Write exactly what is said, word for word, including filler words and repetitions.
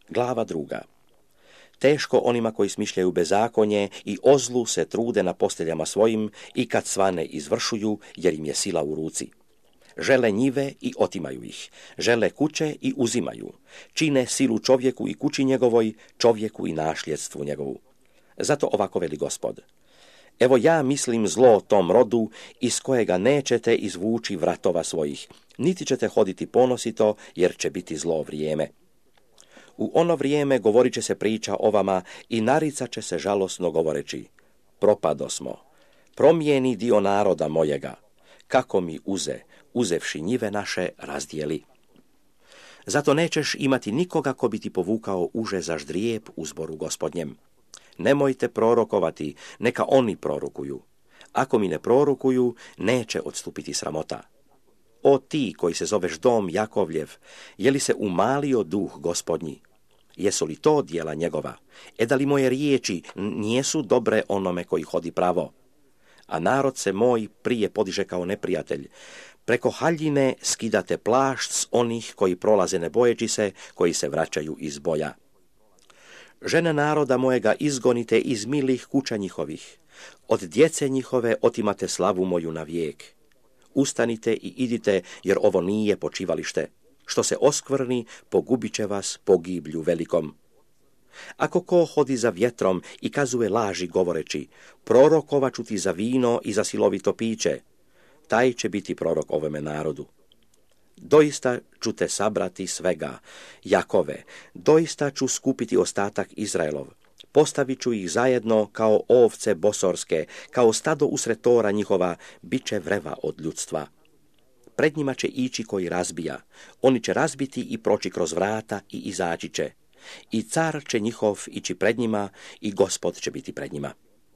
Glava druga. Teško onima koji smišljaju bezakonje i o zlu se trude na posteljama svojim i kad svane izvršuju, jer im je sila u ruci. Žele njive i otimaju ih, žele kuće i uzimaju, čine silu čovjeku i kući njegovoj, čovjeku i našljedstvu njegovu. Zato ovako veli Gospod: evo ja mislim zlo tom rodu iz kojega nećete izvući vratova svojih, niti ćete hoditi ponosito, jer će biti zlo vrijeme. U ono vrijeme govorit će se priča o vama i naricat će se žalosno govoreći: propado smo, promijeni dio naroda mojega, kako mi uze, uzevši njive naše, razdijeli. Zato nećeš imati nikoga ko bi ti povukao uže za ždrijeb u zboru Gospodnjem. Nemojte prorokovati, neka oni prorokuju. Ako mi ne prorokuju, neće odstupiti sramota. O ti koji se zoveš dom Jakovljev, je li se umalio duh Gospodnji? Jesu li to djela njegova? E da li moje riječi nijesu dobre onome koji hodi pravo? A narod se moj prije podiže kao neprijatelj. Preko haljine skidate plašt s onih koji prolaze ne bojeći se, koji se vraćaju iz boja. Žene naroda mojega izgonite iz milih kuća njihovih. Od djece njihove otimate slavu moju na vijek. Ustanite i idite, jer ovo nije počivalište. Što se oskvrni, pogubit će vas pogiblju velikom. Ako ko hodi za vjetrom i kazuje laži govoreći: prorokovat ću ti za vino i za silovito piće, taj će biti prorok ovome narodu. Doista ću te sabrati svega, Jakove, doista ću skupiti ostatak Izraelov. Postavit ću ih zajedno kao ovce bosorske, kao stado usred tora njihova, bit će vreva od ljudstva. Pred njima će ići koji razbija, oni će razbiti i proći kroz vrata i izaći će. I car će njihov ići pred njima i Gospod će biti pred njima.